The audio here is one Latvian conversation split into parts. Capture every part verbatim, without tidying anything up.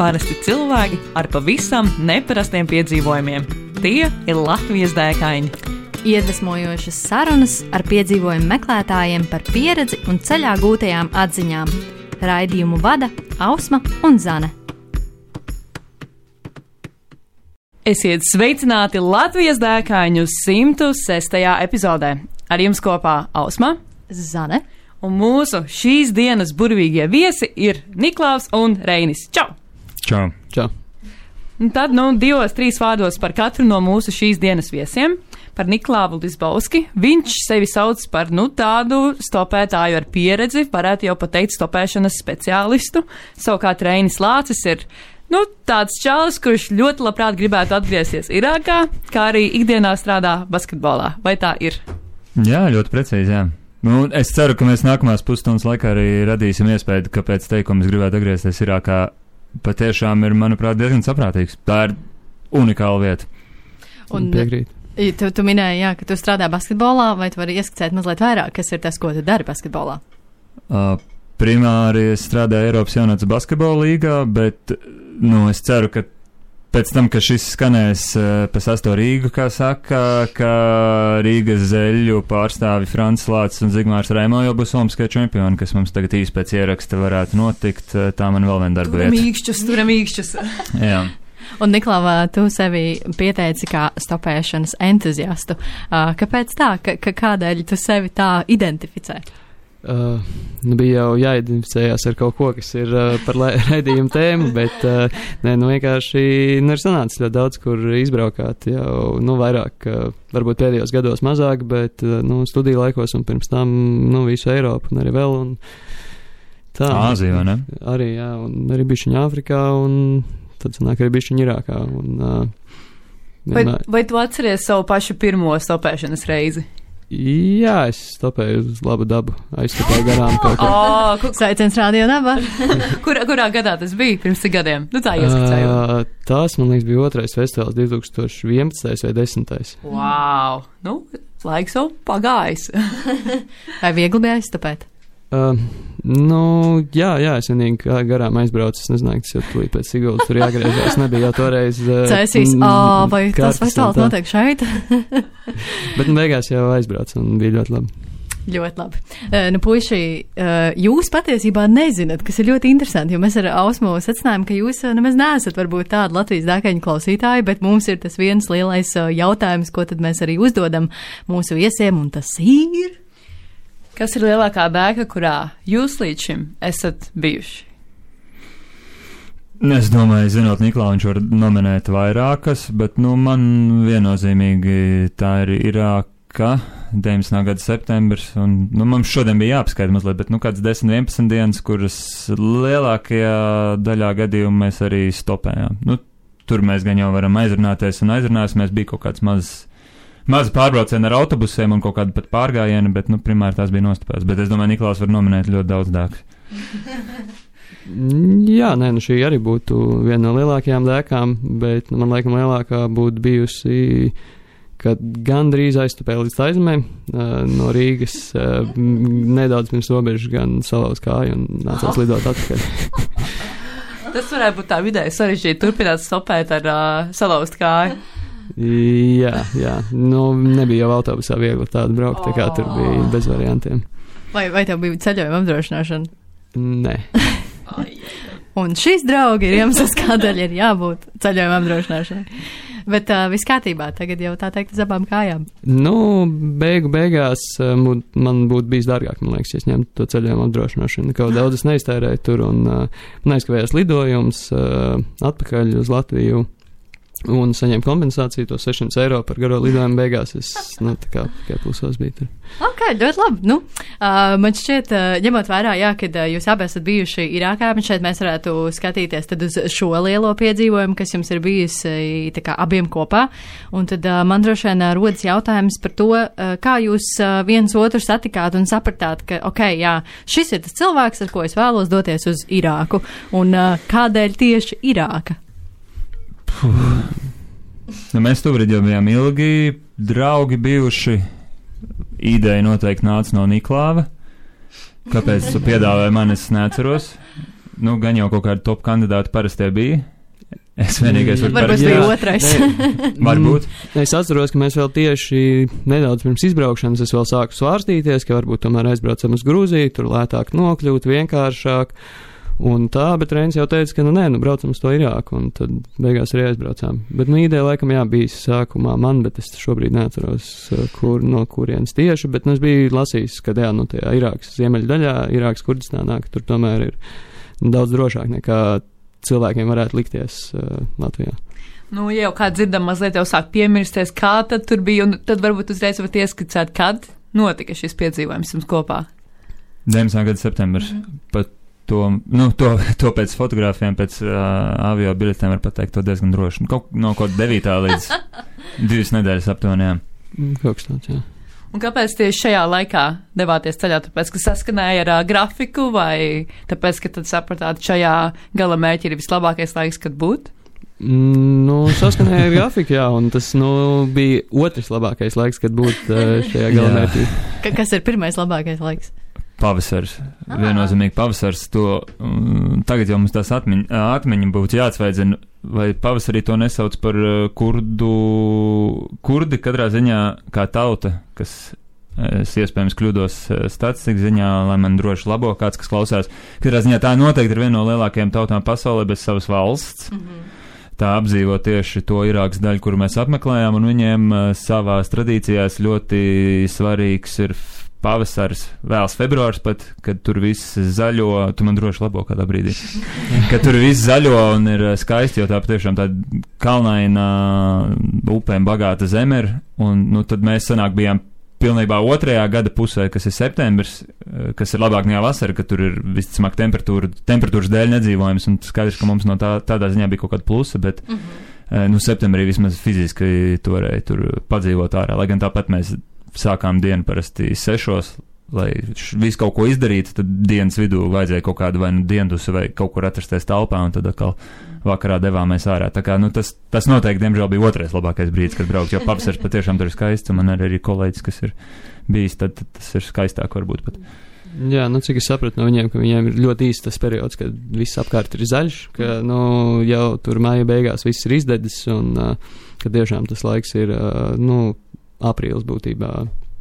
Parasti cilvēki ar pavisam neparastiem piedzīvojumiem. Tie ir Latvijas dēkaini. Iedvesmojošas sarunas ar piedzīvojumu meklētājiem par pieredzi un ceļā gūtajām atziņām. Raidījumu vada Ausma un Zane. Esiet sveicināti Latvijas dēkaņu simtu sestajā epizodē. Ar jums kopā Ausma, Zane un mūsu šīs dienas burvīgie viesi ir Niklaus un Reinis. Čau! Čau! Čau! Un tad, nu, divos, trīs vārdos par katru no mūsu šīs dienas viesiem. Par Niklāvu Lisbauski. Viņš sevi sauc par, nu, tādu stopētāju ar pieredzi, varētu jau pateikt stopēšanas speciālistu. Savukārt Reinis Lācis ir, nu, tāds čalis, kurš ļoti labprāt gribētu atgriezties Irākā, kā arī ikdienā strādā basketbolā. Vai tā ir? Jā, ļoti precīzi, jā. Nu, es ceru, ka mēs nākamās pusstundas laikā arī radīsim iespēju, ka pēc teikuma es gribētu atgriezties Irākā. Patiešām ir, manuprāt, diezgan saprātīgs. Tā ir unikāla vieta. Un piekrīt. Tu, tu minēji, jā, ka tu strādā basketbolā, vai tu vari ieskicēt mazliet vairāk, kas ir tas, ko tu dari basketbolā? Uh, primāri es strādāju Eiropas jaunatnes basketbola līgā, bet, nu, es ceru, ka pēc tam, ka šis skanēs uh, pa sasto Rīgu, kā saka, ka Rīgas zeļu pārstāvi Frants Lācis un Zigmārs Raimo jau būs olimpiskie čempioni, kas mums tagad īsti pēc ieraksta varētu notikt. Tā man vēl viena darba vieta. Turam īkšķus, turam īkšķus. Jā. Un, Niklava, tu sevi pieteici kā stopēšanas entuziastu. Uh, kāpēc tā? Ka, ka kādēļ tu sevi tā identificē? Uh, nu bija jau jāidentificējās ar kaut ko, kas ir uh, par raidījumu tēmu, bet uh, nē, nu vienkārši nu, ir sanācis ļoti daudz, kur izbraukāt jau, nu, vairāk, uh, varbūt pēdējos gados mazāk, bet, uh, nu, studiju laikos un pirms tam, nu, visu Eiropu un arī vēl, un tā. Āzija, vai ne? Arī, jā, un arī bišķiņa Āfrikā, un tad sanāk arī bišķiņa Irākā, un uh, vai, vai tu atceries savu pašu pirmo stopēšanas reizi? Jā, es stopēju uz labu dabu, aizstopēju garām kaut ko. Oh, ku... Sveiciens Radio Naba. kurā, kurā gadā tas bija? Pirms cik gadiem? Nu tā ieskicēju. Uh, tās, man liekas, bija otrais festivāls divtūkstoš vienpadsmitais vai desmitais. Wow! Nu, laiks jau pagājis. Vai viegli bija aizstopēt? Uh, nu, jā, jā, es vienīgi garām aizbraucu, es nezināju, kas jau tūlīt pēc Siguldas tur jāgriežās, nebija jau toreiz. Uh, Cēsīs, ā, vai tas festivāls notiek šeit? Bet nu beigās jau aizbraucu un bija ļoti labi. Ļoti labi. Uh, nu, puiši, uh, jūs patiesībā nezināt, kas ir ļoti interesanti, jo mēs ar Ausmu secinājām, ka jūs uh, nemaz neesat varbūt tādi Latvijas dēkaņu klausītāji, bet mums ir tas viens lielais uh, jautājums, ko tad mēs arī uzdodam mūsu viesiem, un tas ir... Kas ir lielākā dēka, kurā jūs līdz šim esat bijuši? Es domāju, zinot Niklāvu, viņš var nominēt vairākas, bet, nu, man viennozīmīgi tā ir Irāka, deviņdesmitā gada septembris, un, nu, mums šodien bija jāapskaita mazliet, bet, nu, kāds desmit vienpadsmit dienas, kuras lielākajā daļā gadījumu mēs arī stopējām. Nu, tur mēs gan jau varam aizrunāties un aizrunāsimies, bija kaut kāds mazs Mazi pārbraucieni ar autobusiem un kaut kādu pat pārgājienu, bet, nu, primāri tās bija nostopēts. Bet es domāju, Niklaus var nominēt ļoti daudz dēkas. Jā, nē, nu šī arī būtu viena no lielākajām dēkām, bet, nu, man laikam lielākā būtu bijusi, kad gandrīz aizstopēja līdz Taizemē, uh, no Rīgas, uh, nedaudz pirms robežas gan salauz kāju un nācās lidot atpakaļ. Tas varētu būt tā vidēji sarežģīti turpināt stopēt ar uh, salauzt kāju. Jā, jā, nu nebija jau autobusā viegli tādu braukt, tā kā tur bija bez variantiem. Vai, vai tev bija ceļojuma apdrošināšana? Nē. Un šīs draugi ir iemesls, kādēļ ir jābūt ceļojuma apdrošināšanai. Bet uh, viss kārtībā, tagad jau tā teikt uz abām kājām. Nu, beigu beigās uh, man būtu bijis dārgāk, man liekas, ja es ņemtu to ceļojumu apdrošināšanu. Kaut daudz es neiztērēju tur un uh, neaizkavējās lidojums uh, atpakaļ uz Latviju. Un saņēmu kompensāciju, to sešsimt eiro par garo lidojumu beigās. Es, nu, tā kā tikai plusos biju tur. Ok, ļoti labi. Nu, uh, man šķiet, uh, ņemot vērā, jā, kad uh, jūs abi esat bijuši Irākā, man šeit mēs varētu skatīties tad uz šo lielo piedzīvojumu, kas jums ir bijis tā kā abiem kopā. Un tad uh, man droši vien uh, rodas jautājums par to, uh, kā jūs uh, viens otru satikāt un sapratāt, ka, ok, jā, šis ir tas cilvēks, ar ko es vēlos doties uz Irāku. Un uh, kādēļ tieši Irāka? Nu, mēs tur jau bijām ilgi draugi bijuši. Ideja noteikti nāca no Niklāva. Kāpēc tu piedāvāji man, es neatceros. nu, gan jau kaut kādi top kandidāti parastie bija. Es vienīgais varu Varbūt bija otrais. Varbūt. Es atceros, ka mēs vēl tieši nedaudz pirms izbraukšanas es vēl sāku svārstīties, ka varbūt tomēr aizbraucam uz Grūziju, tur lētāk nokļūt, vienkāršāk. Un tā, bet Reinis jau teica, ka nu nē, nu braucam uz to Irāku, un tad beigās arī aizbraucām. Bet nu ideja laikam jā, bijis sākumā man, bet es šobrīd neatceros, kur, no kurienes tieši, bet nu es biju lasījis, ka jā, nu tajā Irākas ziemeļdaļā, Irākas Kurdistānā, ka tur tomēr ir nu, daudz drošāk nekā cilvēkiem varētu likties uh, Latvijā. Nu, ja jau kā dzirdam, mazliet jau sāk piemirsties, kā tad tur bija, un tad varbūt uzreiz varat ieskicēt, kad notika šis piedzīvojums jums kopā. deviņdesmitā gada septembris. Mm-hmm. Pat to, nu, to, to pēc fotogrāfiem, pēc uh, avio biļetēm var pateikt to diezgan droši. Kaut, no kaut devītā līdz divas nedēļas aptuveni. Kaut kas tāds, jā. Un kāpēc tieši šajā laikā devāties ceļā? Tāpēc, ka saskanēja ar uh, grafiku, vai tāpēc, ka tad sapratāt, šajā gala mērķi ir vislabākais laiks, kad būt? Mm, nu, saskanēja ar grafiku, jā, un tas, nu, bija otrs labākais laiks, kad būt uh, šajā gala mērķī. Ka, kas ir pirmais labākais laiks? Pavasars. Ah. Viennozīmīgi pavasars. To, um, tagad jau mums tās atmiņa, atmiņa būtu jāatsveidzina, vai pavasarī to nesauc par uh, kurdu, kurdi katrā ziņā kā tauta, kas es iespējams kļūdos statistikas ziņā, lai man droši labo kāds, kas klausās. Katrā ziņā tā noteikti ir viena no lielākajām tautām pasaulē bez savas valsts. Mm-hmm. Tā apdzīvo tieši to Irākas daļu, kuru mēs apmeklējām, un viņiem uh, savās tradīcijās ļoti svarīgs ir pavasars, vēls februārs pat, kad tur viss zaļo, tu man droši labo kādā brīdī, kad tur viss zaļo un ir skaisti, jo tā patiešām tāda kalnaina upēm bagāta zeme ir, un nu tad mēs sanāk bijām pilnībā otrajā gada pusē, kas ir septembris, kas ir labāk nekā vasara, kad tur ir visticamāk temperatūra, temperatūras dēļ nedzīvojams, un skaidrs, ka mums no tā, tādā ziņā bija kaut kāda plusa, bet mm-hmm. nu septembrī vismaz fiziski to varēja tur padzīvot ārā, lai gan tāpat mēs sākām dienu parasti sešos, lai visu kaut ko izdarītu, tad dienas vidū vajadzēja kaut kādu vai nu diendusu vai kaut kur atrasties talpā, un tad atkal vakarā devāmies ārā. Tā kā, nu, tas, tas noteikti, diemžēl, bija otrais labākais brīdis, kad braukt, jo pavasars patiešām tur ir skaists, un man ir arī kolēģis, kas ir bijis, tad, tad tas ir skaistāk varbūt pat. Jā, nu, cik es sapratu no viņiem, ka viņiem ir ļoti īsts tas periods, kad viss apkārt ir zaļš, ka, nu, jau tur māja beigās viss ir izdedis, un, uh, ka tiešām tas laiks ir, uh, nu, aprīlis būtībā,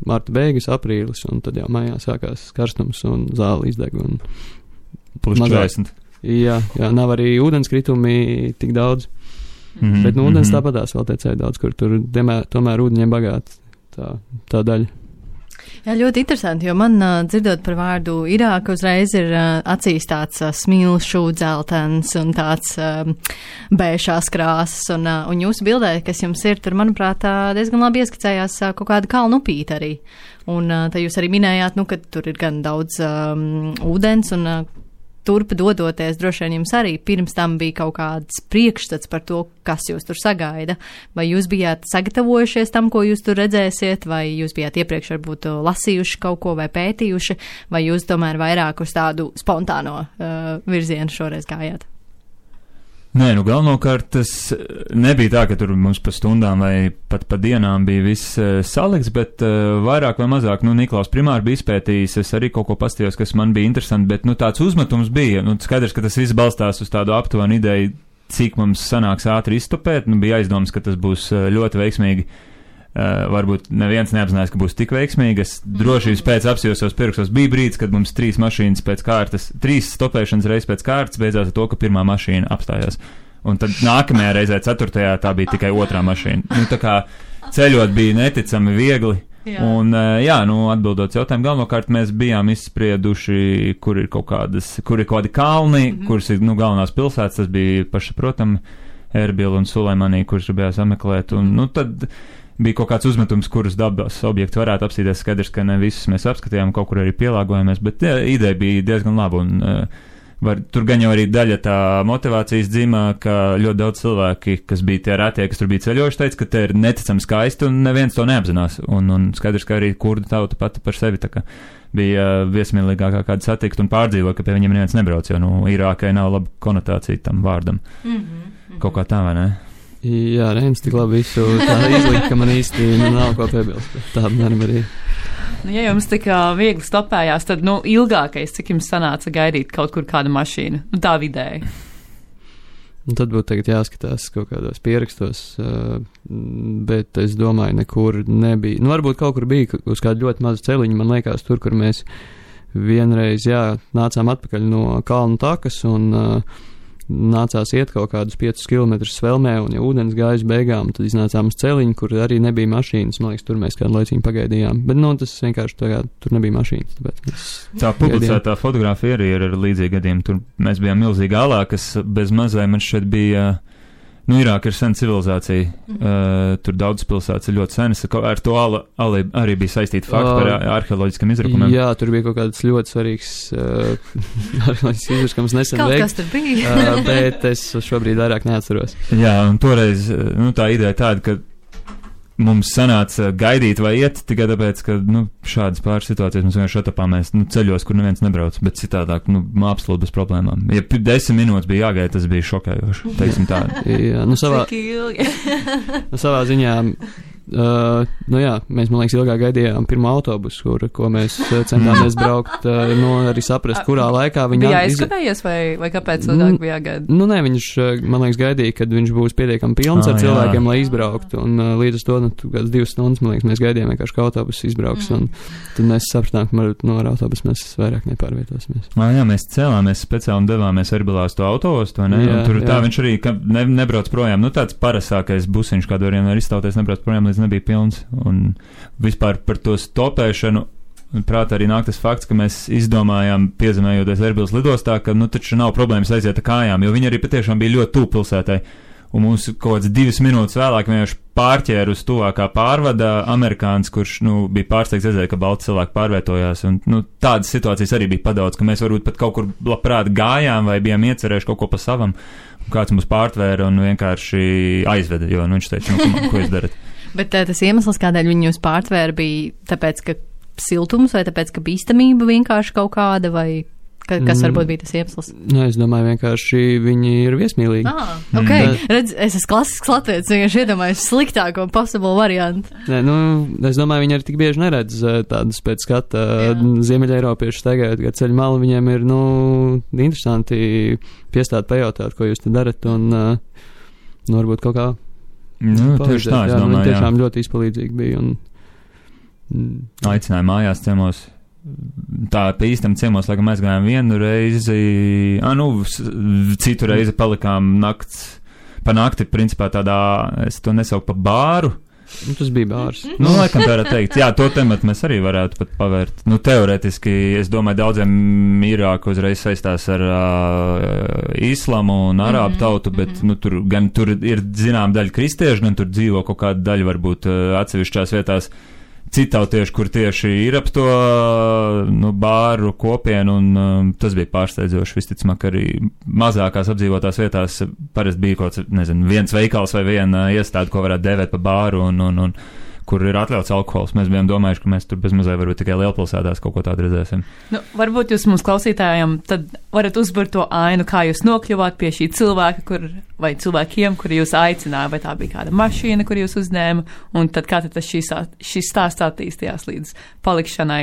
marta beigas, aprīlis, un tad jau mājā sākās karstums un zāle izdeg. Un plus četrdesmit. Jā, jā, nav arī ūdenskritumi tik daudz, mm-hmm, bet nu ūdens mm-hmm. tāpatās vēl tecēja daudz, kur tur demē, tomēr ūdeņiem bagāti tā, tā daļa. Jā, ļoti interesanti, jo man uh, dzirdot par vārdu Irāka uzreiz ir uh, acīs tāds uh, smilšu dzeltens un tāds uh, bēšās krāsas, un, uh, un jūsu bildē, kas jums ir, tur, manuprāt, uh, diezgan labi ieskicējās uh, kaut kāda kalnu upīte arī. Un uh, tā jūs arī minējāt, nu, ka tur ir gan daudz um, ūdens, un uh, turp dodoties, droši vien jums arī pirms tam bija kaut kāds priekšstats par to, kas jūs tur sagaida. Vai jūs bijāt sagatavojušies tam, ko jūs tur redzēsiet, vai jūs bijāt iepriekš varbūt lasījuši kaut ko vai pētījuši, vai jūs tomēr vairāk uz tādu spontāno uh, virzienu šoreiz gājāt? Nē, nu galvenokārt tas nebija tā, ka tur mums pa stundām vai pat pa dienām bija viss uh, salikts, bet uh, vairāk vai mazāk, nu, Niklaus primāri bija izpētījis, es arī kaut ko pastījos, kas man bija interesanti, bet, nu, tāds uzmetums bija, nu, skaidrs, ka tas viss balstās uz tādu aptuvenu ideju, cik mums sanāks ātri izstopēt, nu, bija aizdoms, ka tas būs uh, ļoti veiksmīgi. Uh, varbūt neviens neapzinājās, ka būs tik veiksmīgi. Es drošības pēc apsījos pirkstos. Bija brīdis, kad mums trīs mašīnas pēc kārtas, trīs stopēšanas reizes pēc kārtas beidzās ar to, ka pirmā mašīna apstājās. Un tad nākamajā reizē, ceturtajā, tā bija tikai otrā mašīna. Nu, tā kā ceļot bija neticami viegli. Jā. Un, uh, jā, nu, atbildot jautājumu, galvenokārt mēs bijām izsprieduši, kur ir kaut kādas, kur ir kaut kādi kalni, mm-hmm. kuras ir, nu, galvenās pilsētas, tas bija pašsaprotami Erbil un Sulaimanī, kurš bijās apmeklēt. Un, nu, tad bija kaut kāds uzmetums, kurus dabas objekti varētu apsīties. Skaidrs, ka ne visus mēs apskatījām, kaut kur arī pielāgojamies, bet jā, ideja bija diezgan laba. Un, uh, var, tur gan jau arī daļa tā motivācijas dzimā, ka ļoti daudz cilvēki, kas bija tie rētie, kas tur bija ceļojuši, teica, ka te ir neticami skaisti un neviens to neapzinās. Un, un skaidrs, ka arī kurdu tauta pati par sevi tā kā bija uh, viesmīlīgākā kāda satikt un pārdzīvo, ka pie viņiem neviens nebrauc, jo, nu, Irākai nav laba konotācija tam vārdam. Mm-hmm, mm-hmm. Kaut kā tā, vai ne? Jā, Reinis tik labi visu tā izlikt, ka man īsti nav ko piebilst. Tā man arī. Nu, ja jums tik uh, viegli stopējās, tad, nu, ilgākais, cik jums sanāca gaidīt kaut kur kāda mašīna? Nu, tā vidēji. Un tad būtu tagad jāskatās kaut kādos pierakstos, uh, bet es domāju, nekur nebija. Nu, varbūt kaut kur bija uz kādu ļoti mazu celiņu, man liekas, tur, kur mēs vienreiz, jā, nācām atpakaļ no kalnu takas un uh, nācās iet kaut kādus piecus kilometrus svelmē, un ja ūdens gājas beigām, tad iznācām uz celiņu, kur arī nebija mašīnas. Man liekas, tur mēs kādu laiciņu pagaidījām. Bet, nu, tas vienkārši tagad, tur nebija mašīnas. Tāpēc tā publicētā fotografija arī ir ar līdzīgi gadiem. Tur mēs bijām milzīgi alā, kas bez mazai man šeit bija. Nu, Irāka ir sena civilizācija. Mm. Uh, tur daudz pilsētas ir ļoti senas. Ar to ala, ala arī bija saistīti fakti par uh, arheoloģiskiem izrakumiem. Jā, tur bija kaut kāds ļoti svarīgs uh, arheoloģisks izrakums nesen kaut veikts. Kas tur bija? uh, bet es šobrīd vairāk neatceros. Jā, un toreiz, nu, tā ideja tāda, ka mums sanāca gaidīt vai iet tikai tāpēc, ka, nu, šādas pāris situācijas mums vienkārši atapāmies, nu, ceļos, kur neviens nebrauc, bet citādāk, nu, absolūti bez problēmām. Ja desmit minūtes bija jāgaida, tas bija šokējoši, teiksim tā. Jā, nu, savā, nu, savā ziņā, uh, nu jā, mēs, man liekas, ilgāk gaidījām pirmo autobusu, kur, ko mēs centāmies braukt, uh, nu, arī saprast, kurā laikā viņi... Bija aizskavējies vai, vai kāpēc ilgāk bija jāgaida? Nu, nē, viņš, man liekas, gaidīja, kad viņš būs pietiekami pilns ah, ar cilvēkiem, jā. Lai izbrauktu, un uh, līdz to, nu, kāds divas stundas, man liekas, mēs gaidījām vienkārši, ka autobusu izbrauks, mm. un tad mēs sapratām, ka varbūt no ar autobusu mēs vairāk nepārvietosimies. Ā, jā, mēs cēlāmies speciāli un devāmies Erbilā uz to autoostu, vai ne? Jā, un tur jā. Tā viņš arī ne, nebrauc projām. Nu, tāds parasākais busiņš, kādu variem var iztauties, nebrauc projām, līdz nebija pilns. Un vispār par to stopēšanu, prāt arī nāk tas fakts, ka mēs izdomājām, piezemējoties Erbilas lidostā, ka, nu, taču nav problēmas aiziet ar kājām, jo viņi arī patiešām bija ļoti tuvu pilsētai. Un mums kaut kāds divas minūtes vēlāk vienkārši pārķēra uz tuvākā pārvada amerikānis, kurš, nu, bija pārsteigts redzēt, ka balti cilvēki pārvietojās. Un, nu, tādas situācijas arī bija padaudz, ka mēs varbūt pat kaut kur labprāt gājām vai bijām iecerējuši kaut ko pa savam. Un kāds mums pārtvēra un vienkārši aizveda, jo, nu, viņš teica, nu, ko, ko jūs darat? Bet tas iemesls, kādēļ viņi jūs pārtvēra, bija tāpēc, ka siltums vai tāpēc, ka bīstamība vienkārši kaut kāda vai... Kas varbūt bija tas iemesls? Nu, es domāju, vienkārši viņi ir viesmīlīgi. Ah, ok. Mm. Redz, es esmu klasisks latvietis, vienkārši iedomājos sliktāko possible variantu. Nē, nu, es domāju, viņi arī tik bieži neredz tādus pēc skata Ziemeļa Eiropiešu tagad, kad ceļu malu viņiem ir, nu, interesanti piestāt, pajautāt, ko jūs te darat, un, nu, varbūt kaut kā nu, tieši tā, es jā, domāju, jā. Tiešām ļoti izpalīdzīgi bija. Un, aicināja mājās ciemos. Tā pie īstam ciemos, laikam mēs gājām vienu reizi, ah, nu, citu reizi palikām nakts, pa nakti, principā tādā, es to nesauku pa bāru. Nu, tas bija bārs. Nu, laikam tā varētu teikt. Jā, to tematu mēs arī varētu pat pavērt. Nu, teoretiski, es domāju, daudziem Irāku uzreiz saistās ar uh, islamu un arābu tautu, bet, nu, tur gan tur ir zinām daļa kristiešu, gan tur dzīvo kaut kāda daļa varbūt uh, atsevišķās vietās citautieši, kur tieši ir ap to, nu, bāru kopienu, un um, tas bija pārsteidzoši. Visticamāk, arī mazākās apdzīvotās vietās parasti bija kaut kāds, nezinu, viens veikals vai viena iestāde, ko varētu dēvēt pa bāru, un, un, un kur ir atļauts alkohols. Mēs bijām domājuši, ka mēs tur bez mazai varbūt tikai lielpilsētās kaut ko tādu redzēsim. Nu, varbūt jūs mums klausītājiem tad varat uzburt to ainu, kā jūs nokļuvāt pie šī cilvēka, kur, vai cilvēkiem, kuri jūs aicināja, vai tā bija kāda mašīna, kur jūs uzņēma, un tad kā tad tas šīs, šīs stāsts attīstījās līdz palikšanai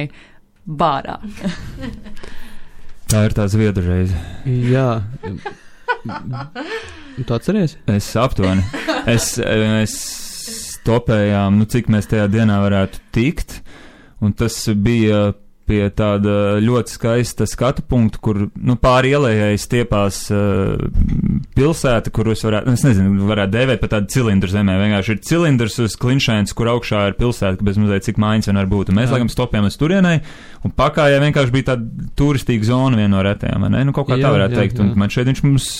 bārā. Tā ir tā zviedru reize. Jā. Tu atceries? Es aptuveni. Es, es stopējām, nu, cik mēs tajā dienā varētu tikt, un tas bija pie tāda ļoti skaista skatu punkta, kur, nu, pāri ielējai stiepās uh, pilsēta, kur es varētu, es nezinu, varētu dēvēt pa tādu cilindru zemē, vienkārši ir cilindrs uz klinšēns, kur augšā ir pilsēta, bez mazliet cik mājas vien var būt, un mēs, laikam, stopējām uz turienai, un pakājā vienkārši bija tāda turistīga zona viena no retējām, ne? Nu, kaut kā jā, tā varētu jā, teikt, jā. Un man šeit viņš mums...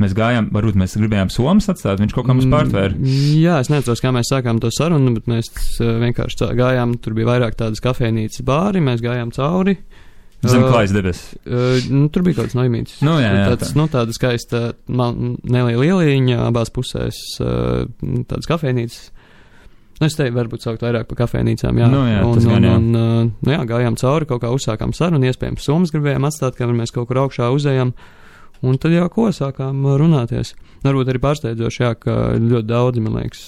Mēs gājām, varbūt mēs gribējām Somas atstāt, viņš kaut kā mums pārtvēra. Jā, es neatceros, kā mēs sākām to sarunu, bet mēs vienkārši tā, gājām, tur bija vairāk tādas kafejnīcas bāri, mēs gājām cauri. Zem klājas debes. Uh, nu, tur bija kaut kāds noimītis. Nu, jā, jā, tāds, tā. nu, tāda skaista neliela ieliņa, abās pusēs uh, tādas kafejnīcas. Nu, es teiktu, varbūt saukt vairāk par kafejnīcām, jā. Nu, jā, un, tas gan, jā. Un, un, nu, jā, gājām cauri, kaut kā uzsākām sarunu, iespējams, Somas gribējām atstāt, kamēr mēs kaut kur augšā uzējām. Un tad jau ko sākām runāties. Varbūt arī pārsteidzoši, jā, ka ļoti daudzi, man liekas,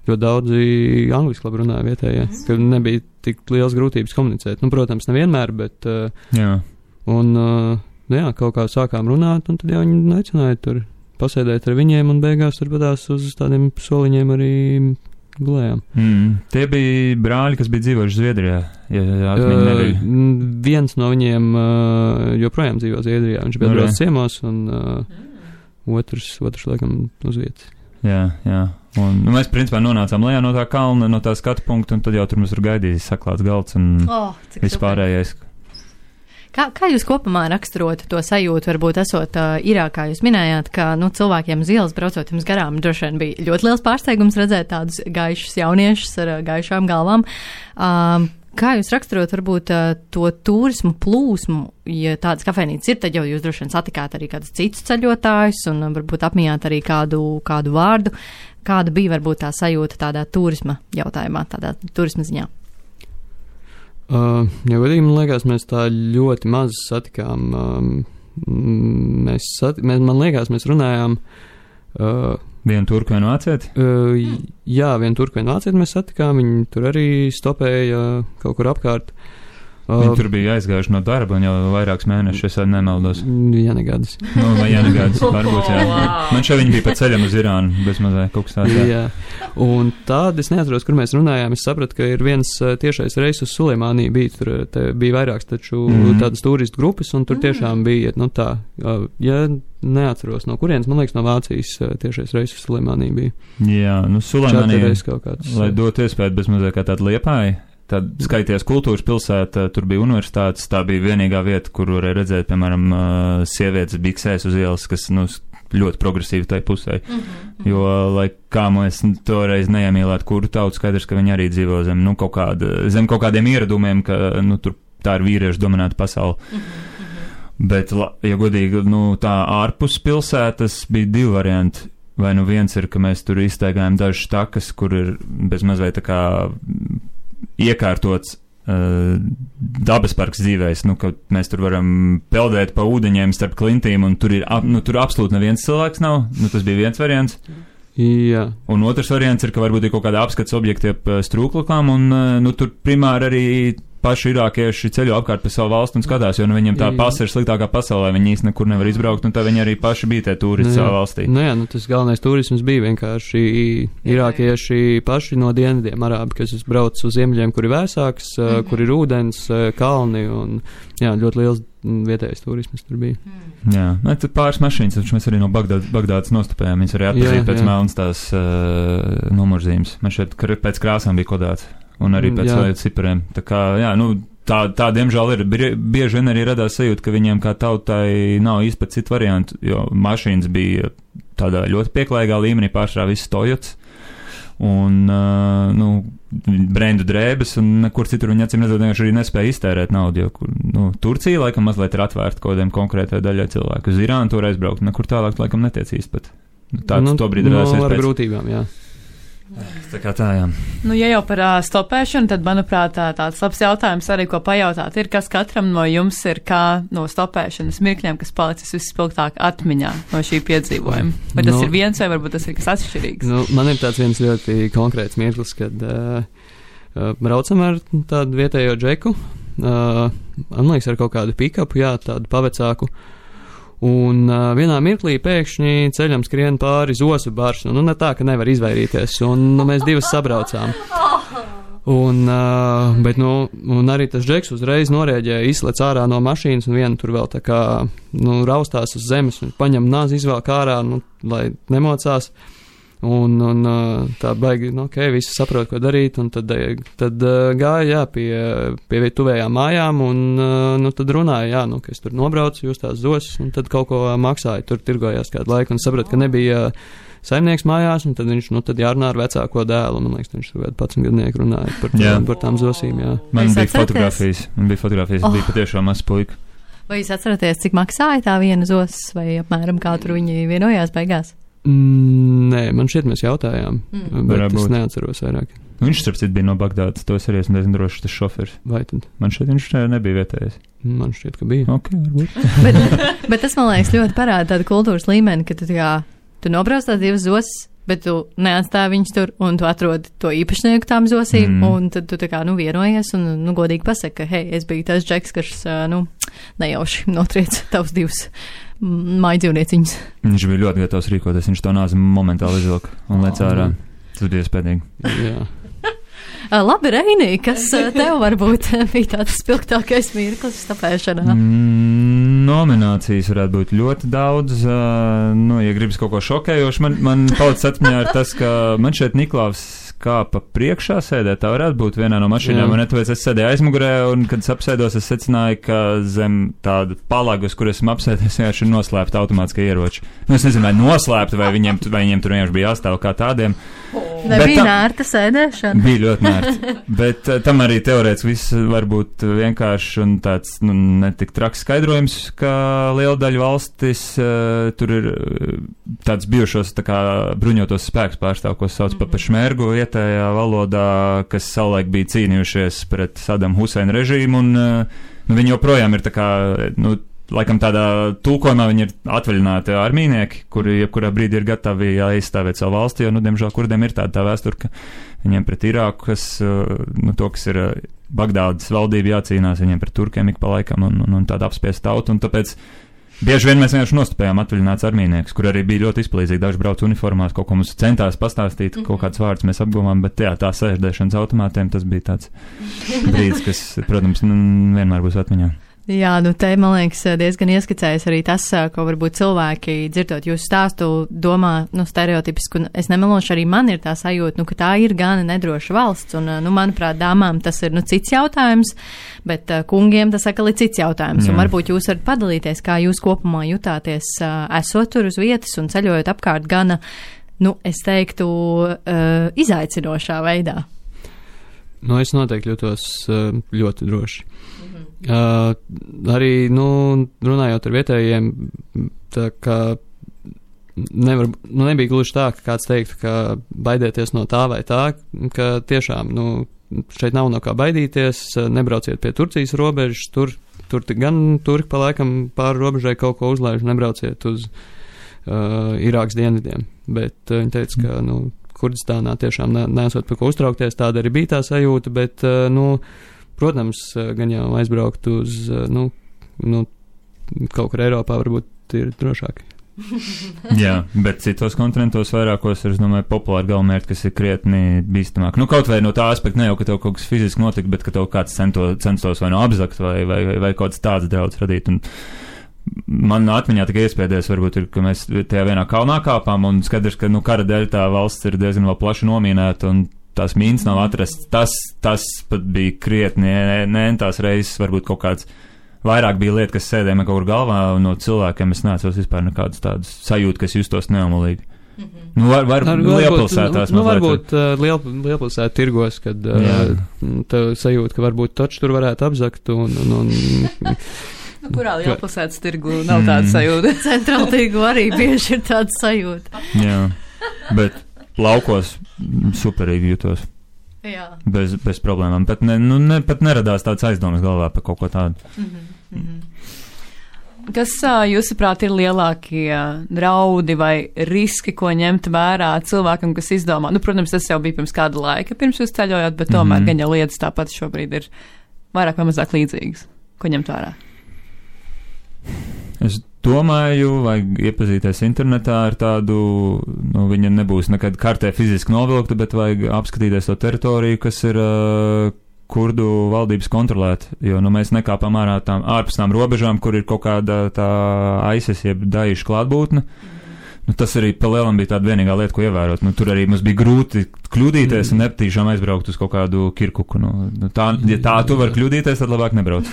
ļoti daudzi angliski labi runāja vietējie, ka nebija tik liels grūtības komunicēt. Nu, protams, nevienmēr, bet, uh, jā. Un, uh, jā, kaut kā sākām runāt, un tad jau viņi aicināja tur pasēdēt ar viņiem, un beigās tur padās uz tādiem soliņiem arī gulējām. Mm. Tie bija brāļi, kas bija dzīvojuši Zviedrijā, ja atmiņa uh, nebija. Viens no viņiem uh, joprojām dzīvo Zviedrijā, viņš bija brauc ciemos, un uh, otrs, otrs, laikam, uz vietas. Jā, jā. Un nu, mēs, principā, nonācām lejā no tā kalna, no tā skatu punkta, un tad jau tur mums tur gaidīja saklāts galds un oh, vispārējais. Kā, kā jūs kopumā raksturotu to sajūtu, varbūt esot uh, Irākā, jūs minējāt, ka, nu, cilvēkiem uz ielas braucot jums garām, droši vien bija ļoti liels pārsteigums redzēt tādus gaišus jauniešus ar uh, gaišām galvām. Um, kā jūs raksturot, varbūt, uh, to turismu plūsmu, ja tādas kafejnīcas ir, tad jau jūs droši vien satikāt arī kādus citus ceļotājus un uh, varbūt apmījāt arī kādu, kādu vārdu. Kāda bija, varbūt, tā sajūta tādā turisma jautājumā, tādā turisma ziņā? Uh, ja godīgi, man liekas, mēs tā ļoti maz satikām. Um, mēs, sati, mēs, man liekas, mēs runājām. Uh, vienu turku vienu vācieti? Uh, jā, vienu turku vienu vācieti mēs satikām. Viņi tur arī stopēja uh, kaut kur apkārt. Uh, Viņi tur bija aizgājuši no darba un jau vairākus mēnešus, es nemaldos. Jā, negādas. Nu, vai jā, negādas, varbūt, jā. Man šeit viņi bija pa ceļam uz Irānu, bez mazai kaut kas tāds. Jā. jā, un tād es neatceros, kur mēs runājām. Es sapratu, ka ir viens tiešais reis uz Suleimāniju bija, tur te bija vairāks taču mm. tādas turistu grupas, un tur tiešām bija, nu tā, ja neatceros, no kurienes, man liekas, no Vācijas tiešais reis uz Suleimāniju bija. Jā, nu Suleimānija, kāds, lai dotu iespēju bez mazai kā tāda Liepāja. Tad skaities kultūras pilsēta, tur bija universitātes, tā bija vienīgā vieta, kur varēja redzēt, piemēram, sievietes biksēs uz ielas, kas, nu, ļoti progresīvi tai pusē. Mm-hmm. Jo, lai kā mēs toreiz neiemīlētu kuru tautu, skaidrs, ka viņi arī dzīvo zem, nu, kaut kāda, zem kaut kādiem ieradumiem, ka, nu, tur tā ir vīriešu dominēta pasaule. Mm-hmm. Bet, ja godīgi, nu, tā ārpus pilsētas bija divi varianti. Vai nu viens ir, ka mēs tur iztaigājam dažas takas, kur ir bez mazliet tā kā iekārtots uh, dabas parks dzīvēs, nu, ka mēs tur varam peldēt pa ūdeņiem starp klintīm, un tur ir, ap, nu, tur absolūti neviens cilvēks nav, nu, tas bija viens variants. Jā. Un otrs variants ir, ka varbūt ir kaut kāda apskats objekti ap strūklakām, un, uh, nu, tur primāri arī paši irākieši ceļo apkārt pa savu valstu un skatās, jo nu, viņiem tā pasa ir sliktākā pasaulē, viņi īsti nekur nevar izbraukt, un tā viņi arī paši bija tie turisti nu, savā valstī. Nu jā, nu tas galvenais turisms bija vienkārši irākieši paši no dienvidiem arābi, kas brauc uz ziemeļiem, kur ir vēsāks, mm-hmm. kur ir ūdens, kalni, un jā, ļoti liels vietējais turisms tur bija. Mm. Jā, ne, tad pāris mašīnas, taču mēs arī no Bagdād, Bagdādas nostupējām, viņas arī atpazīt pēc melnas tās uh, numurzīmes. Man šeit pēc krāsām bija kodāts. Un arī pēc vēl cipariem. Tā kā, jā, nu, tā, tā diemžēl ir. Bieži vien arī radās sajūta, ka viņiem kā tautai nav īsti pat citu variantu, jo mašīnas bija tādā ļoti pieklājīgā līmenī, pārsvarā viss Toyotas. Un, uh, nu, brendu drēbes, un nekur citur viņi acīm redzot vienkārši arī nespēja iztērēt naudu, jo, nu, Turcija laikam mazliet ir atvērta kaut kādiem konkrētai daļai cilvēku. Uz Irānu tur aizbraukt, nekur tālāk laikam netiec īsti pat. Tāds nu, to brīdi radās no, ar grūtībām, jā. Tā kā tā, jā. Nu, ja jau par uh, stopēšanu, tad, manuprāt, tā, tāds labs jautājums arī, ko pajautāt, ir, kas katram no jums ir kā no stopēšanas mirkļiem, kas palicis vispilgtāk atmiņā no šī piedzīvojuma. Vai tas no, ir viens, vai varbūt tas ir kas atšķirīgs? Nu, man ir tāds viens ļoti konkrēts mirklis, kad uh, uh, braucam ar tādu vietējo džeku, uh, man liekas, ar kaut kādu pikapu, jā, tādu pavecāku. Un uh, vienā mirklī pēkšņi ceļam skrien pāri zosu bars, nu, nu ne tā, ka nevar izvairīties, un nu, mēs divas sabraucām. Un, uh, bet, nu, un arī tas džeks uzreiz norēģēja, izslēdz ārā no mašīnas, un viena tur vēl tā kā, nu, raustās uz zemes, un paņem nāzi izvēl ārā, nu, lai nemocās. Un, un tā baigi, nu, ok, visi saprot, ko darīt, un tad, tad gāja, jā, pie, pie tuvējām mājām, un, nu, tad runāja, jā, nu, ka es tur nobraucu, jūs tās zosas, un tad kaut ko maksāja, tur tirgojās kādu laiku, un saprot, ka nebija saimnieks mājās, un tad viņš, nu, tad jārunā ar vecāko dēlu, man liekas, viņš tur kādu padsmitgadnieku runāja par, tā, par tām zosīm, jā. Man bija fotogrāfijas, man bija fotogrāfijas, oh. bija patiešām mazs puika. Vai jūs atceraties, cik maksāja tā viena zosas, vai apmēram kā tur viņi vienojās beigās? Mm, nē, man šķiet mēs jautājām, mm. bet Varbūt. Es neatceros vairāk. Viņš, starp citu, bija no Bagdādas, to es arī esmu diezgan drošs, tas šoferis. Vai tad? Man šķiet, viņš nebija vietējais. Man šķiet, ka bija. Ok, varbūt. bet, bet tas, man liekas, ļoti parāda tādu kultūras līmeni, ka tu, kā, tu nobrauc tās divas zosas, bet tu neatstāji viņus tur, un tu atrodi to īpašnieku tām zosīm, mm. un tad tu tā kā, nu, vienojies, un, nu, godīgi pasaka, ka, hei, es biju tas džeks, kas, nu, nejauši notriec tavs divus mājdzīvnieciņus. Viņš bija ļoti gatavs rīkoties, viņš to nāzi momentāli izvilka un lec ārā. Tas bija spēdīgi. Jā. Labi, Reini, kas tev varbūt bija tāds spilgtākais mirklis stapēšanā? Mm, nominācijas varētu būt ļoti daudz. Uh, nu, ja gribas kaut ko šokējošu, man, man palicis atmiņā ir tas, ka man šeit Niklaus kāpa priekšā sēdē, tā varētu būt vienā no mašīnām, un tāpēc es sēdēju aizmugurē, un, kad es apsēdos, es secināju, ka zem tāda palagas, kur esmu apsēdies, vienkārši ir noslēpta automātiskie ieroči. Nu, es nezinu, vai noslēpta, vai viņiem, vai viņiem tur vienkārši bija jāstāv kā tādiem. Vai bet bija nērta sēdēšana? Bija ļoti nērta, bet uh, tam arī teorētiski viss var būt vienkārši un tāds, nu, netik traks skaidrojums, ka liela daļa valstis uh, tur ir tāds bijušos tā kā bruņotos spēks pārstāv, ko sauc pa pešmergu vietējā valodā, kas savulaik bija cīnījušies pret Sadam Huseina režīmu, un uh, nu, viņi joprojām ir tā kā, nu, laikam tādā tulkojumā viņi ir atvaļināti armīnieki, kuri jebkurā brīdī ir gatavi aizstāvēt savu valsti, jo, nu, diemžēl, kurdiem ir tāda tā vēsture, ka viņiem pret Irāku, kas, nu, to, kas ir Bagdādas valdība jācīnās, viņiem pret turkiem ik pa laikam un, un, un tāda apspiesta tauta, un tāpēc bieži vien mēs vienkārši nostupējām atvaļināts armīniekus, kur arī bija ļoti izplīzīgi, daži brauc uniformās, kaut ko mums centās pastāstīt, mm-hmm. kaut kāds vārds mēs apguvām, bet jā, tā sēždēšanas automātiem, tas bija tāds brīdis, kas, protams, nu, vienmēr būs atmiņā. Jā, nu te, man liekas, diezgan ieskicējas arī tas, ko varbūt cilvēki, dzirdot jūsu stāstu, domā, nu, stereotipiski, un es nemelošu, arī man ir tā sajūta, nu, ka tā ir gana nedroša valsts, un, nu, manuprāt, dāmām tas ir, nu, cits jautājums, bet uh, kungiem tas atkal ir cits jautājums, Jā. Un varbūt jūs varat padalīties, kā jūs kopumā jutāties, uh, esot tur uz vietas un ceļojot apkārt gana, nu, es teiktu, uh, izaicinošā veidā. Nu, es noteikti jūtos uh, ļoti droši. Uh, arī, nu, runājot ar vietējiem, tā kā nevar, nu, nebija gluži tā, ka kāds teikt, ka baidieties no tā vai tā, ka tiešām, nu, šeit nav no kā baidīties, nebrauciet pie Turcijas robežas, tur, tur gan turki pa laikam pāri robežai kaut ko uzlaiž, nebrauciet uz uh, Irākas dienvidiem, bet uh, viņi teica, ka, nu, Kurdistānā tiešām ne, nesot par ko uztraukties, tāda arī bija tā sajūta, bet, uh, nu, protams, gan jau aizbraukt uz, nu, nu, kaut kur Eiropā varbūt ir drošāk. Jā, bet citos kontinentos vairākos ir, es domāju, populāri galvenmērķi, kas ir krietni bīstamāk. Nu, kaut vai no tā aspekta ne jau, ka tev kaut kas fiziski notika, bet ka tev kāds cento, censtos vai no apzakt vai, vai, vai, vai kaut kāds tāds draudz radīt. Un man atmiņā tikai iespēdēs varbūt ir, ka mēs tajā vienā kalnā kāpām un skaidrs, ka, nu, kara dēļ tā valsts ir diezgan vēl plaši nomīnēta un tās mīnas nav atrasts. Tas, tas pat bija krietni, ne tās reizes varbūt kaut kāds vairāk bija lieta, kas sēdēja man kaut kur galvā, un no cilvēkiem es neatceros vispār nekādus tādus sajūtu, kas justos neomulīgi. Mm-hmm. Nu, var, var, Ar, lielpilsētās. Nu, nu varbūt uh, liel, lielpilsētu tirgos, kad uh, tev sajūta, ka varbūt taču tur varētu apzakt un... un, un nu, kurā lielpilsētas tirgu nav tāda sajūta? Centrāla tirgu arī bieži ir tāda sajūta. Jā, bet laukos superīgi jutos. Jā. Bez, bez problēmām. Pat, ne, nu, ne, pat neradās tāds aizdomas galvā par kaut ko tādu. Mm-hmm. Mm-hmm. Kas, jūsuprāt, ir lielākie draudi vai riski, ko ņemt vērā cilvēkam, kas izdomā? Nu, protams, tas jau bija pirms kāda laika, pirms jūs ceļojāt, bet tomēr mm-hmm. gan jau lietas tāpat šobrīd ir vairāk vai mazāk līdzīgas. Ko ņemt vērā? Es domāju, vajag iepazīties internetā ar tādu, nu, viņa nebūs nekad kartē fiziski novilkta, bet vajag apskatīties to teritoriju, kas ir uh, kurdu valdības kontrolēta, jo, nu, mēs nekāpam ārā tām ārpus tām robežām, kur ir kaut kāda tā ISIS jeb Daesh klātbūtne. Nu, tas arī pa lielam bija tāda vienīgā lieta, ko ievērot. Nu, tur arī mums bija grūti kļūdīties mm. un nepatīšām aizbraukt uz kaut kādu Kirkuku. Nu, tā, ja tā tu vari kļūdīties, tad labāk nebrauc.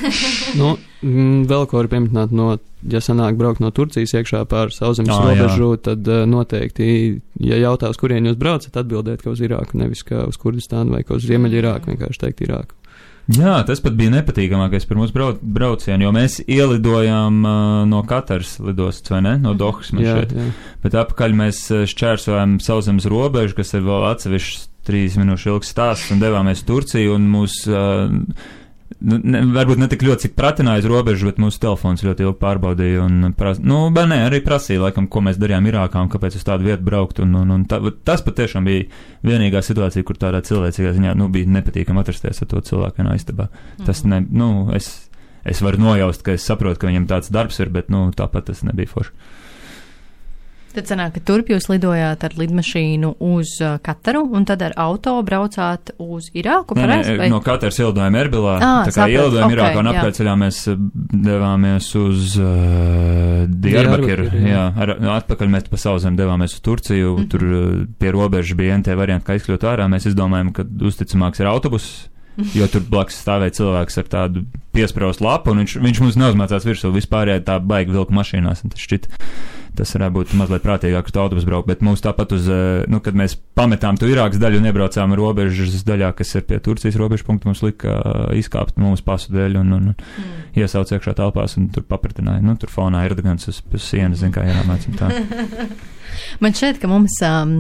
Nu, vēl ko var pieminēt, no, ja sanāk braukt no Turcijas iekšā pār sauszemes ah, robežu, tad uh, noteikti, ja jautā, uz kurien jūs braucat, atbildēt, ka uz Irāku, nevis ka uz Kurdistānu vai ka uz Ziemeļu Irāku, vienkārši teikt Irāku. Jā, tas pat bija nepatīkamākais par mūsu brauc, braucienu, jo mēs ielidojām uh, no Kataras lidostas, vai ne? No Dohas man šeit. Jā. Bet apakaļ mēs šķērsojām sauszemes robežu, kas ir vēl atsevišķs trīs minūšu ilgs stāsts, un devāmies Turciju, un mūs uh, nu, ne, varbūt ne tik ļoti, cik pratināja uz robežu, bet mūsu telefons ļoti ilgi pārbaudīja un, pras, nu, bet nē, arī prasīja, laikam, ko mēs darījām Irākā un kāpēc uz tādu vietu braukt, un, un, un tā, tas patiešām bija vienīgā situācija, kur tādā cilvēcīgā ziņā, nu, bija nepatīkam atrasties ar to cilvēku vienā istabā. Mm-hmm. Tas ne, nu, es, es varu nojaust, ka es saprotu, ka viņam tāds darbs ir, bet, nu, tāpat tas nebija forši. Tad sanāk, ka turp jūs lidojāt ar lidmašīnu uz uh, Kataru un tad ar auto braucāt uz Irāku? Nē, pareiz, nē, no Kataras ielidojām Erbilā, ah, tā kā ielidojām okay, Irākā un jā. apkārtceļā mēs devāmies uz uh, Diyarbakiru, jā, ar, atpakaļ mēs pa sauzem devāmies uz Turciju, mm-hmm. tur pie robežas bija N T varianti, kā izkļūt ārā, mēs izdomājam, ka uzticamāks ir autobus, jo tur blakus stāvēja cilvēks ar tādu piespraustu lapu, un viņš, viņš mums neuzmācās virsū, vispārējā tā baigi vilka mašīnās, un tas šķiet. Tas varētu būt mazliet prātīgāk, ka tu autobus brauc, bet mums tāpat uz, nu, kad mēs pametām tu Irākas daļu un iebraucām robežas daļā, kas ir pie Turcijas robežu punktu, mums lika izkāpt mūsu pasu dēļ un, un, un mm. iesauc iekšā telpās un tur papratināja. Nu, tur fonā Erdogans uz, uz sienas, zin kā jāmācam tā. Man šķiet, ka mums um,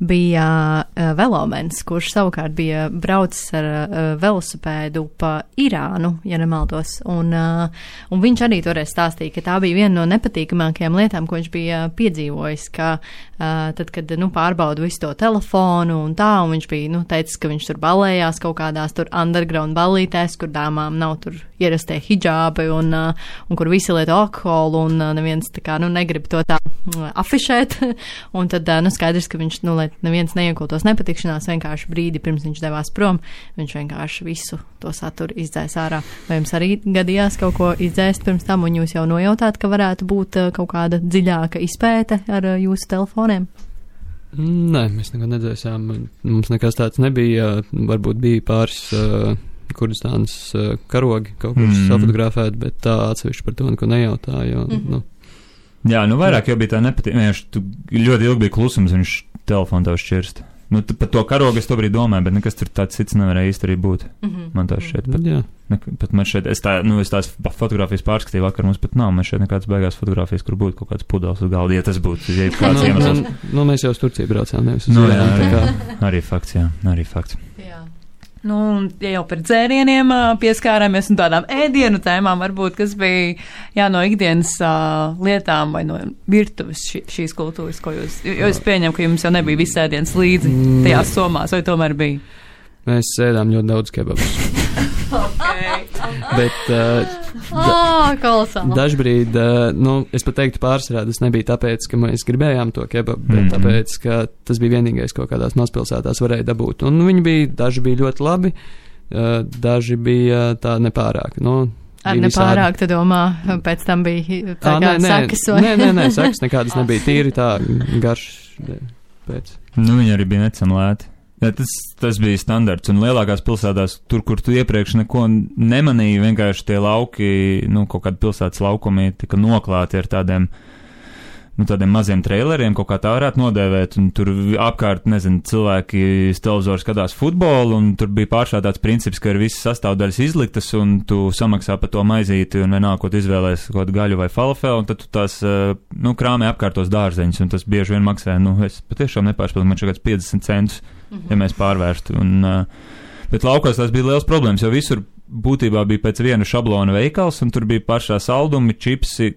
bija uh, velomens, kurš savukārt bija braucis ar uh, velosipēdu pa Irānu, ja nemaldos, un, uh, un viņš arī toreiz stāstīja, ka tā bija viena no nepatīkamākajām lietām, ko viņš bija piedzīvojis, ka uh, tad, kad, nu, pārbauda visu to telefonu un tā, un viņš bija, nu, teicis, ka viņš tur balējās kaut kādās tur underground ballītēs, kur dāmām nav tur ierastie hidžābi un, uh, un kur visi lieto alkoholu un uh, neviens tā kā, nu, negrib to tā uh, afišēt. Un tad, nu, skaidrs, ka viņš, nu, lai neviens neiekultos nepatikšanās, vienkārši brīdi pirms viņš devās prom, viņš vienkārši visu to saturu izdzēs ārā. Vai jums arī gadījās kaut ko izdzēst pirms tam, un jūs jau nojautāt, ka varētu būt kaut kāda dziļāka izpēte ar jūsu telefoniem? Nē, mēs nekad nedzēsām. Mums nekas tāds nebija. Varbūt bija pāris uh, Kurdistānas uh, karogi kaut kur mm. safotografēt, bet tā atsevišķi par to neko nejautāja. Mm-hmm. Nu, Jā, nu vairāk jau bija tā nepatīk. Vienkārši tu ļoti ilgi bija klusums, viņš telefonu tev šķirst. Nu, par to karogu es to brīdi domāju, bet nekas tur tāds cits nevarēja īsti arī būt. Mm-hmm. Man tā šeit, pat, ne, pat man šeit, es tā, nu, es tās fotogrāfijas pārskatīju vakar, mums pat nav, man šeit nekādas beigās fotogrāfijas, kur būtu kaut kāds pudeles uz galda, ja tas būtu, ja kāds nu, iemesls. Nu, nu, mēs jau uz Turciju braucām, nevis uz nu, Irānu, jā, tā kā. Arī fakts, jā, arī fakts. Jā. Nu, ja jau par dzērieniem pieskārāmies un tādām ēdienu tēmām, varbūt, kas bija, jā, no ikdienas uh, lietām vai no virtuves ši, šīs kultūras, ko jūs, jo es pieņemu, ka jums jau nebija viss ēdienas līdzi tajās somās, vai tomēr bija? Mēs ēdām ļoti daudz kebabus. Okay. Bet uh, oh, dažbrīd, uh, nu, es pat teiktu pārsvarā, tas nebija tāpēc, ka mēs gribējām to kebabu, bet mm-hmm. tāpēc, ka tas bija vienīgais, ko kādās mazpilsētās varēja dabūt. Un viņi bija, daži bija ļoti labi, uh, daži bija tā nepārāk. Nu, Ar nepārāk, tu domā, pēc tam bija tā kā sakas vai? Nē, nē, nē, sakas nekādas nebija, tīri tā garš pēc. Nu, viņi arī bija necamlēti. Ja, tas, tas bija standarts, un lielākās pilsētās, tur, kur tu iepriekš neko nemanīji, vienkārši tie lauki, nu, kaut kādi pilsētas laukumi tika noklāti ar tādiem, nu, tādiem maziem traileriem, kaut kā tā varētu nodēvēt, un tur apkārt, nezinu, cilvēki televizoru skatās futbolu, un tur bija pāršā tāds princips, ka ir visas sastāvdaļas izliktas, un tu samaksā par to maizīti, un vienalga, ko tu izvēlēs, kaut kādu gaļu vai falafelu, un tad tu tās, nu, krāmē apkārtos dārzeņus, un tas bieži vien maksā, nu, es patiešām nepārspēju, man šeit kāds piecdesmit centus, mm-hmm. ja mēs pārvērstu, un, bet laukos tās bija liels problēmas, jo visur būtībā bija pēc viena šablona veikals, un tur bija pašā saldumi, čipsi,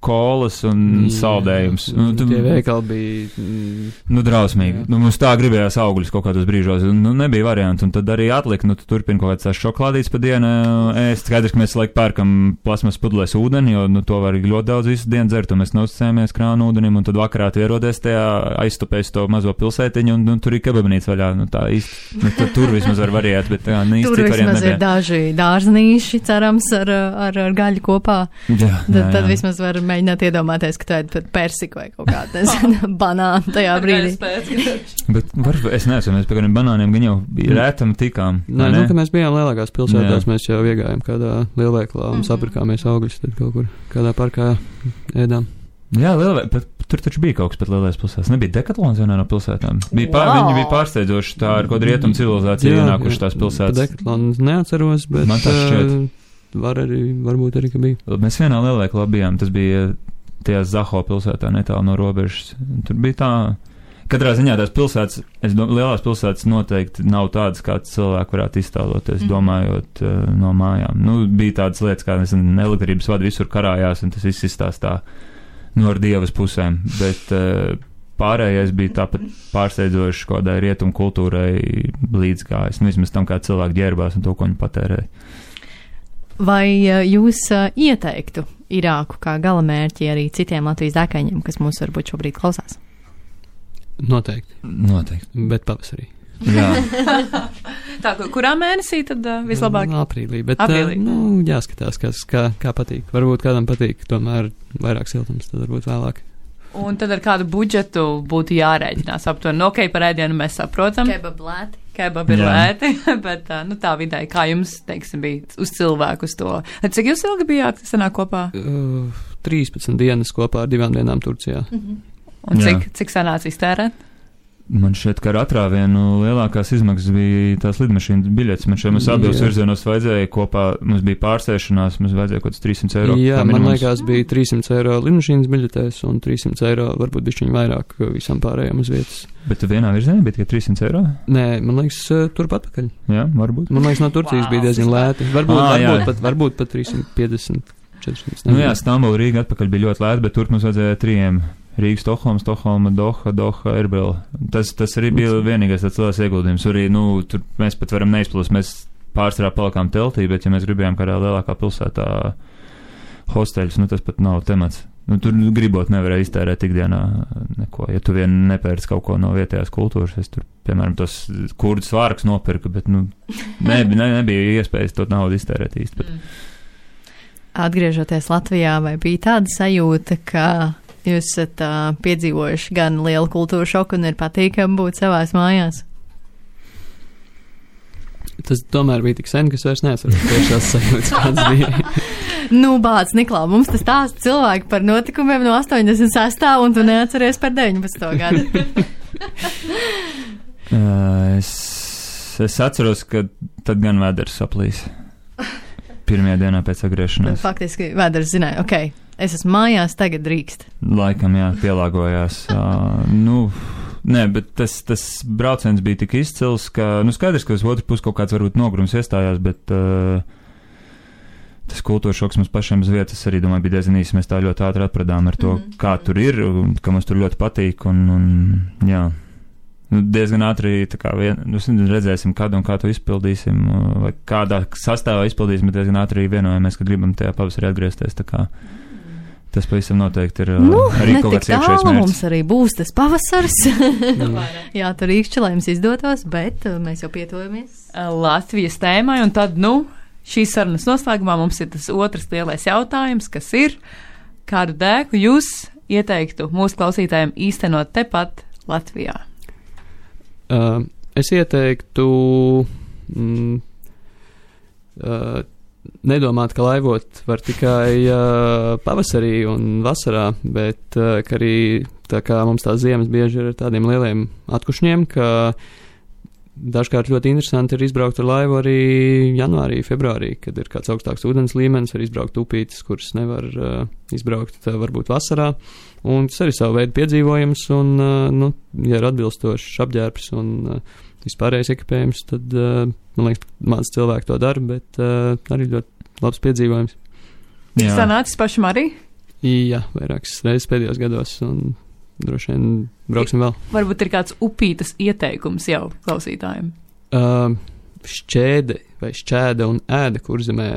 kolas un mm, saldējums. Nu, tu, tie veikali bija... Mm, nu, drausmīgi. Nu, mums tā gribējās augļus kaut kādos brīžos. Nu, nebija variantu. Un tad arī atlika, nu, tu turpini kaut kāds tās šokolādītes pa dienu ēst. Skaidrs, ka mēs laik pērkam plasmas pudelēs ūdeni, jo, nu, to var ļoti daudz visu dienu dzert, un mēs neuzticējamies krānu ūdenim, un tad vakarā tu ierodies tajā aizstupēs to mazo pilsētiņu, un, un tur ir kebabnīca vaļā. Nu, tā īsti, nu, tur vismaz var variēt, bet tā, nu, īsti tur vismaz ir daži dārznīši, cerams, ar, ar, ar gaļu kopā. Jā, tad, jā, jā. tad vismaz var mēģināt iedomāties, ka tu ēd pat persiku vai kaut kādu, nezinu, banānu tajā brīdī. Bet var, es nezinu, mēs pie kādiem banāniem gan jau rētam tikām. Nē, nu, ka mēs bijām lielākās pilsētās, jā. Mēs jau iegājām kādā lielveiklā un mm-hmm. sapirkāmies augļus, tad kaut kur kādā parkā ēdām. Jā, lielvei, bet tur taču bija kaut kas pat lielais pilsētās. Nebija Decathlons vienā no pilsētām. Bija pār, wow. Viņi bija pārsteidzoši tā ar kaut rietumu civilizāciju ienākuši tās pilsētas. Decathlons neatceros, bet man tas šķiet. Var arī, varbūt arī, ka bija. Mēs vienā lielveiklā bijām, tas bija tajā Zaho pilsētā netālu no robežas. Tur bija tā, katrā ziņā tās pilsētas, es domāju, lielās pilsētas noteikti nav tādas, kāds cilvēki varētu iztēloties, mm. domājot uh, no mājām. Nu, bija tādas lietas, kā, nezinu, elektrības vadi visur karājās, un tas viss izstāstā nu, ar dievas pusēm, bet uh, pārējais bija tāpat pārsteidzoši kādai rietumu kultūrai līdzgājis, nu, vismaz tam, kā cilvēki ģērbās un to, ko viņi patērēja. Vai uh, jūs uh, ieteiktu Irāku kā galamērķi arī citiem Latvijas dēkaņiem, kas mūs varbūt šobrīd klausās? Noteikti. Noteikti. Bet pavasarī. Jā. Tā, kurā mēnesī tad uh, vislabāk? Aprīlī, bet Aprīlī. Uh, nu, jāskatās, kas, kā, kā patīk. Varbūt kādam patīk, tomēr vairāk siltums, tad varbūt vēlāk. Un tad ar kādu budžetu būtu jārēķinās aptuveni. Nu, ok, par ēdienu mēs saprotam. Kebab lēti. Kebab ir lēti, bet nu, tā vidēji, kā jums, teiksim, bija uz cilvēku uz to. Cik jūs ilgi bijāt sanāk kopā? Uh, trīspadsmit dienas kopā ar divām dienām Turcijā. Mhm. Un cik, cik sanāca iztērēt? Man šķiet, ka ar atrāvienu lielākās izmaksas bija tās lidmašīnas biļetes. Man šeit mums abos virzienos vajadzēja kopā, mums bija pārsēšanās, mums vajadzēja kaut kāds trīssimts eiro. Jā, man liekas, bija trīssimts eiro lidmašīnas biļetēs un trīssimts eiro, varbūt bišķiņ vairāk visam pārējām uz vietas. Bet vienā virzienā bija tikai trīssimts eiro? Nē, man liekas, turp atpakaļ. Jā, varbūt. Man liekas, no Turcijas wow. bija diezgan lēti. Varbūt, ah, varbūt, pat, varbūt pat trīssimt piecdesmit, četrdesmit. Nu jā, Stambula, Rīga atpakaļ bija ļoti lēti, bet turp mums vajadzēja trījiem. Rīga, Stokholma, Stokholma, Doha, Doha, Erbila. Tas, tas arī bija vienīgais tāds liels ieguldījums. Arī, nu, tur mēs pat varam neizplūst, mēs pārsvarā palikām teltī, bet ja mēs gribējām kādā lielākā pilsētā hosteļus, nu tas pat nav temats. Nu, tur gribot nevarēja iztērēt ikdienā neko. Ja tu vien nepērc kaut ko no vietējās kultūras, es tur, piemēram, tos kurdu svārkus nopirku, bet, nu, ne, ne, nebija iespējas to naudu iztērēt īsti. Bet. Atgriežoties Latvijā, vai bija tāda sajūta, ka jūs esat uh, piedzīvojuši gan lielu kultūru šoku un ir patīkami būt savās mājās? Tas tomēr bija tik sen, ka es vairs neatceros tiešās sajūtas, kāds bija. Nu, bāc, Niklā, mums tas stāsta cilvēki par notikumiem no astoņdesmit sestā un tu neatceries par deviņpadsmito gadu. uh, es, es atceros, ka tad gan vēders saplīs. Pirmajā dienā pēc atgriešanās. Faktiski vēders zināja, ok, es esmu mājās, tagad drīkst. Laikam, jā, pielāgojās. uh, nu, nē, bet tas, tas brauciens bija tik izcils, ka, nu, skaidrs, ka uz otru pusi kaut kāds varbūt nogrums iestājās, bet uh, tas kultūras šoks mums pašiem uz vietas arī, domāju, bija diezgan īsi. Mēs tā ļoti ātri atpradām ar to, mm-hmm. kā tur ir, un, ka mums tur ļoti patīk, un, un jā. Nu, diezgan ātri, tā kā vien, nu, redzēsim, kad un kā to izpildīsim, vai kādā sastāvā izpildīsim, bet diezgan ātri vienojamies, ka gribam tajā pavasarī atgriezties, tā kā tas pavisam noteikti ir nu, arī kaut kāds iekšējais mērķis. Mums arī būs tas pavasars. Jā, tur īkšķi, lai jums izdotos, bet mēs jau pietuvamies Latvijas tēmai, un tad, nu, šīs sarunas noslēgumā mums ir tas otrs lielais jautājums, kas ir, kādu dēku jūs ieteiktu mūsu klausītājiem īstenot tepat Latvijā? Uh, es ieteiktu mm, uh, nedomāt, ka laivot var tikai uh, pavasarī un vasarā, bet uh, ka arī tā kā mums tās ziemas bieži ir ar tādiem lieliem atkušņiem, ka dažkārt ļoti interesanti ir izbraukt ar laivu arī janvārī, februārī, kad ir kāds augstāks ūdens līmenis, var izbraukt upītes, kuras nevar uh, izbraukt uh, varbūt vasarā. Un tas arī savu veidu piedzīvojums, un, uh, nu, ja ir atbilstošs apģērbs un uh, vispārējais ekipējums, tad, uh, man liekas, maz cilvēki to dara, bet uh, arī ļoti labs piedzīvojums. Jā. Sanācis pašam arī? Jā, vairākas reizes pēdējos gados, un droši vien brauksim vēl. Varbūt ir kāds upītas ieteikums jau klausītājiem? Uh, šķēde vai šķēda un ēda Kurzemē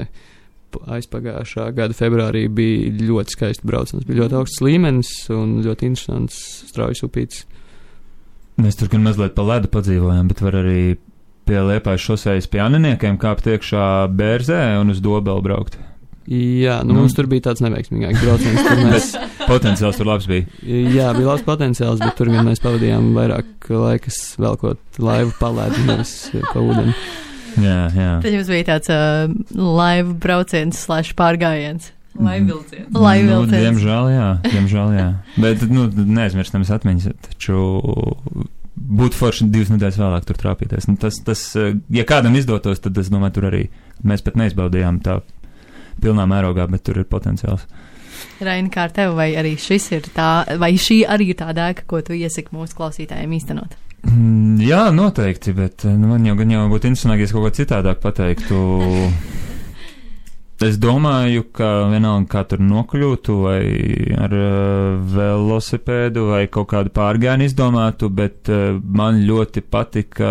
aizpagājušā gada februārī bija ļoti skaisti brauciens. Bija ļoti augsts līmenis un ļoti interesants straujas upītes. Mēs tur gan mazliet pa ledu padzīvojām, bet var arī pie Liepājas šosejas pie Aniniekiem kāpt iekšā Bērzē un uz Dobeli braukt. Jā, nu, nu mums tur bija tāds neveiksmīgāks brauciens. Mēs... Potenciāls tur labs bija. Jā, bija labs potenciāls, bet tur gan mēs pavadījām vairāk laikas velkot laivu pa ledu, nevis pa ūdeni. Jā, jā. Tad jums bija tāds uh, laivu brauciens slash pārgājiens. Laivvilciens. Laivvilciens. Nu, diemžēl, jā, diemžēl, jā. Bet, nu, neaizmirstamies atmiņas, taču būtu forši divas nedēļas vēlāk tur trāpīties. Nu, tas, tas, ja kādam izdotos, tad es domāju, tur arī mēs pat neizbaudījām tā pilnā mērogā, bet tur ir potenciāls. Raini, kā ar tevi, vai arī šis ir tā, vai šī arī ir tā dēka, ko tu iesaki mūsu klausītājiem īstenot? Mm, jā, noteikti, bet nu, man jau gan jau būtu interesanti, ja es kaut ko citādāk pateiktu. Es domāju, ka vienalga, kā tur nokļūtu, vai ar uh, velosipēdu, vai kaut kādu pārgājienu izdomātu, bet uh, man ļoti patika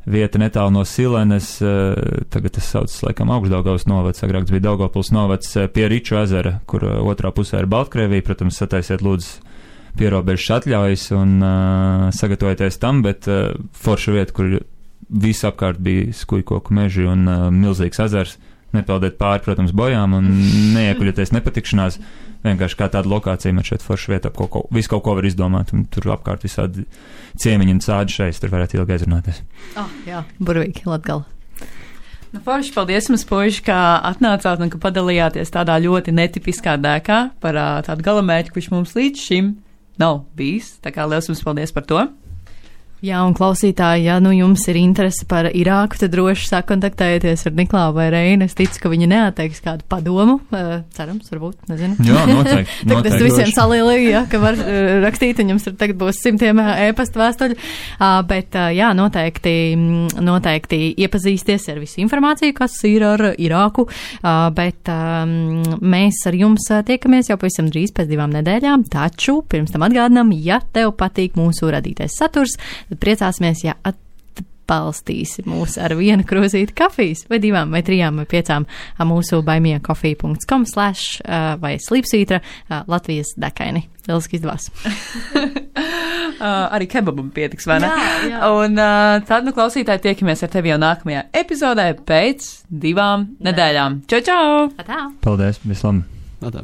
vieta netālu no Silenes, uh, tagad tas saucas laikam Augšdaugavas novads, agrāk tas bija Daugavpils novads, uh, pie Riču ezera, kur uh, otrā pusē ir Baltkrievija, protams, sataisiet lūdzu pierobežas atļaujas un uh, sagatavojieties tam, bet uh, forša vieta, kur visapkārt bija skujkoku meži un uh, milzīgs ezers, nepeldiet pāri, protams, bojām un neiekuļieties nepatikšanās, vienkārši kā tāda lokācija man šeit forša vieta, ko, ko, visu kaut ko var izdomāt, un tur apkārt visādi ciemiņi un sādi šeit, tur varētu ilgi aizrunāties. Ah, oh, jā, burvīgi, Latgala. Nu, forši, paldies jums, puiši, ka atnācāt un ka padalījāties tādā ļoti netipiskā dēkā par uh, tādu galamērķi, kurš mums līdz šim nav bijis. Tā kā liels jums paldies par to. Jā, un klausītāji, ja nu jums ir interese par Irāku, tad droši sakontaktējieties ar Niklāvu vai Reini. Es ticu, ka viņi neatteiks kādu padomu. Uh, cerams, varbūt, nezinu. Jā, noteikti. Tagad es visiem salielīju, ja, ka var uh, rakstīt, un jums tagad būs simtiem e-pasta vēstuļu. Uh, bet, uh, jā, noteikti, noteikti iepazīsties ar visu informāciju, kas ir ar Irāku. Uh, bet um, mēs ar jums tiekamies jau pavisam drīz pēc divām nedēļām. Taču, pirms tam atgādinām, ja tev patīk mūsu radītais saturs, priecāsimies, ja atbalstīsi mūs ar vienu krūzīti kafijas, vai divām, vai trijām, vai piecām mūsu baimiecoffee dot com slash vai slīpsvītra Latvijas dekaini. Lieliski izdevās. uh, arī kebabam pietiks, vai ne? Jā, jā. Un uh, tad, nu, klausītāji, tiekamies ar tevi jau nākamajā epizodē pēc divām ne. nedēļām. Čau, čau! Atā. Paldies, vislabāk! Atā.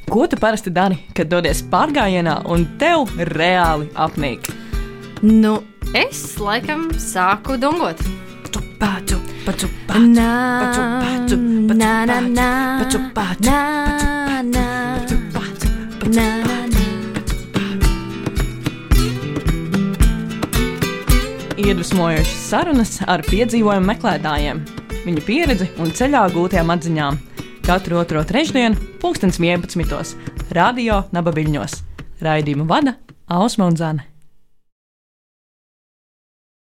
Ko tu parasti dari, kad dodies pārgājienā un tev reāli apnīk? Nu, es laikam sāku dungot. Paču, paču, paču, Nā, paču, paču, paču, nā, nā, nā, paču, paču, nā, nā, paču, paču, paču, nā, nā, nā. Iedvesmojošas sarunas ar piedzīvojumu meklētājiem, viņu pieredzi un ceļā gūtajām atziņām. Katru otro trešdienu, pulkstens vienpadsmitos, radio Nabaviļņos. Raidījumu vada Ausma un Zane.